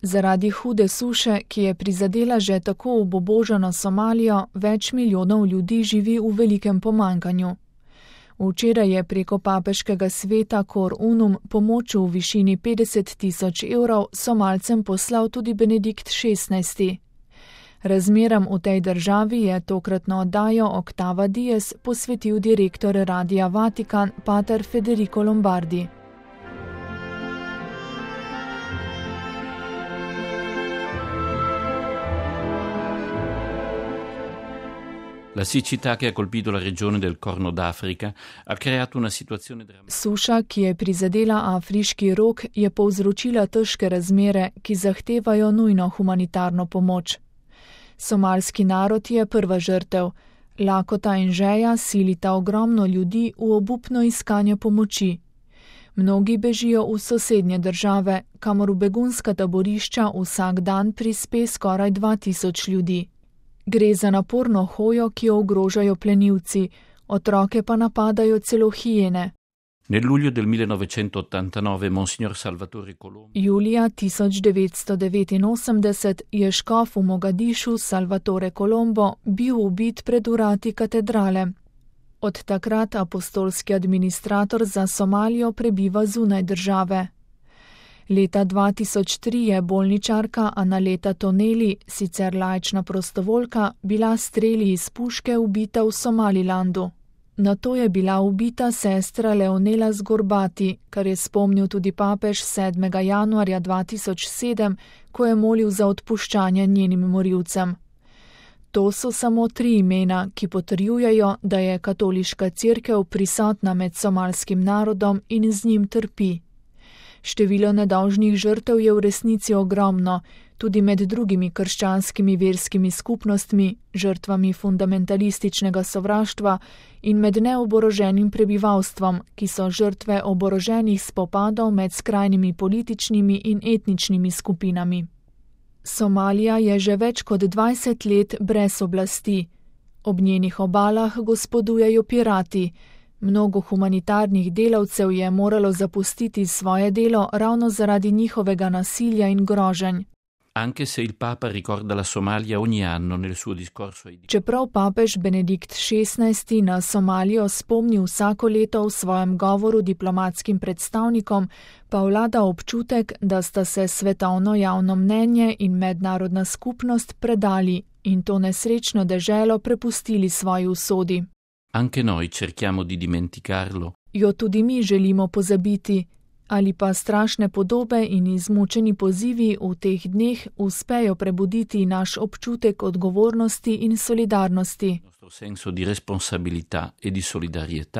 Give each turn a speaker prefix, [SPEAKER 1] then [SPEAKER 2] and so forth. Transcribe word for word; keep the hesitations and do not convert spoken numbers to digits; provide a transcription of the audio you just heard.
[SPEAKER 1] Zaradi hude suše, ki je prizadela že tako obubožano Somalijo, več milijonov ljudi živi v velikem pomanjkanju. Včeraj je preko papeškega sveta Cor Unum pomoč v višini petdeset tisoč evrov Somalcem poslal tudi Benedikt šestnajsti. Razmeram v tej državi je tokratno oddajo Octava Dies posvetil direktor Radia Vatikan pater Federico Lombardi.
[SPEAKER 2] La siccità che ha colpito la regione del Corno d'Africa ha creato una situazione drammatica.
[SPEAKER 1] Suša, ki je prizadela Afriški rog, je povzročila težke razmere, ki zahtevajo nujno humanitarno pomoč. Somalski narod je prva žrtev. Lakota in žeja silita ogromno ljudi v obupno iskanje pomoči. Mnogi bežijo v sosednje države, kamor v begunska taborišča vsak dan prispe skoraj dva tisoč ljudi. Gre za naporno hojo, ki jo ogrožajo plenilci, otroke pa napadajo celo hijene.
[SPEAKER 2] Nel luglio del millenovecentottantanove Monsignor Salvatore Colombo.
[SPEAKER 1] Julija tisoč devetsto devetinosemdeset je škof v Mogadišu Salvatore Colombo bil ubit pred vrati katedrale. Od takrat apostolski administrator za Somalijo prebiva zunaj države. Leta dva tisoč tri je bolničarka Analeta Toneli, sicer laična prostovoljka, bila streli iz puške ubita v Somalilandu. Nato je bila ubita sestra Leonela Zgorbati, kar je spomnil tudi papež sedmega januarja dva tisoč sedem, ko je molil za odpuščanje njenim morilcem. To so samo tri imena, ki potrjujejo, da je katoliška cerkev prisotna med somalskim narodom in z njim trpi. Število nedolžnih žrtev je v resnici ogromno, tudi med drugimi krščanskimi verskimi skupnostmi, žrtvami fundamentalističnega sovraštva in med neoboroženim prebivalstvom, ki so žrtve oboroženih spopadov med skrajnimi političnimi in etničnimi skupinami. Somalija je že več kot dvajset let brez oblasti. Ob njenih obalah gospodujejo pirati. Mnogo humanitarnih delavcev je moralo zapustiti svoje delo ravno zaradi njihovega nasilja in groženj.
[SPEAKER 2] Anche se il Papa ricorda la Somalia ogni anno nel suo discorso ai...
[SPEAKER 1] Čeprav papež Benedikt šestnajsti na Somalijo spomni vsako leto v svojem govoru diplomatskim predstavnikom, pa vlada občutek, da sta se svetovno javno mnenje in mednarodna skupnost predali in to nesrečno deželo prepustili svoji usodi.
[SPEAKER 2] Anche noi cerchiamo di dimenticarlo.
[SPEAKER 1] Jo tudi mi želimo pozabiti, ali pa strašne podobe in izmučeni pozivi v teh dneh uspejo prebuditi naš občutek odgovornosti in solidarnosti.
[SPEAKER 2] Nostro senso di responsabilità e di solidarietà.